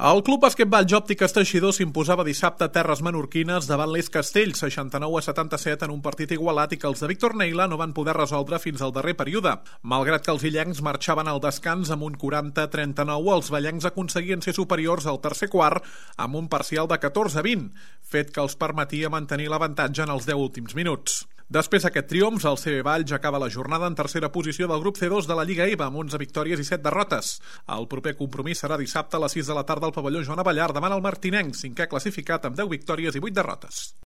El Club Basquetbol Òptiques Teixidor s'imposava dissabte a terres menorquines davant l'Eix Castell, 69-77 en un partit igualat i que els de Víctor Neila no van poder resoldre fins al darrer període. Malgrat que els illencs marxaven al descans amb un 40-39, els vallencs aconseguien ser superiors al tercer quart amb un parcial de 14-20, fet que els permetia mantenir l'avantatge en els 10 últims minuts. Després d'aquest triomf, el CB Valls acaba la jornada en tercera posició del grup C2 de la Lliga EVA amb 11 victòries i 7 derrotes. El proper compromís serà dissabte a les 6 de la tarda al pavelló Joan Abellar davant el martinenc, cinquè classificat amb 10 victòries i 8 derrotes.